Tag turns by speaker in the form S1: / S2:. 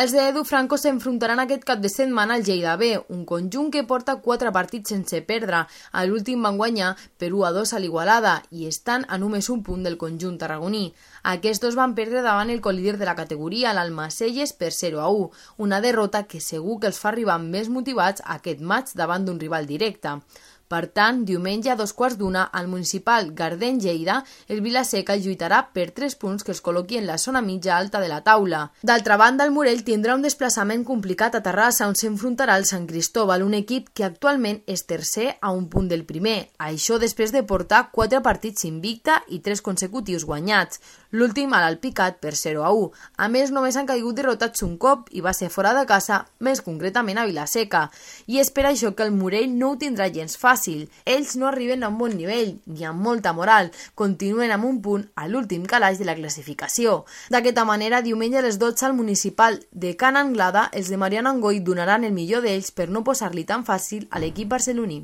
S1: Els de Edu Franco s'enfrontaran aquest cap de setmana al Lleida B, un conjunt que porta 4 partits sense perdre. A l'últim van guanyar per 1-2 a l'Igualada i estan a només un punt del conjunt tarragoní. Aquests dos van perdre davant el colíder de la categoria, l'Almacelles, per 0-1, una derrota que segur que els fa arribar més motivats a aquest maig davant d'un rival directe. Per tant, diumenge a 2:15 al municipal Gardeny-Lleida, el Vila-seca lluitarà per 3 punts que es col·loqui en la zona mitja alta de la taula. D'altra banda, el Morell tindrà un desplaçament complicat a Terrassa, on s'enfrontarà el Sant Cristóbal, un equip que actualment és tercer a un punt del primer. Això després de portar 4 partits invicta i 3 consecutius guanyats, l'últim a l'Alpicat per 0-1. A més, només han caigut derrotats un cop i va ser fora de casa, més concretament a Vila-seca. I és per això que el Morell no ho tindrà gens fàcil. Ells no arriben a un bon nivell ni amb molta moral, continuen amb un punt a l'últim calaix de la classificació. D'aquesta manera, diumenge a les 12 al municipal de Can Anglada, els de Mariano Angoi donaran el millor d'ells per no posar-li tan fàcil a l'equip barceloní.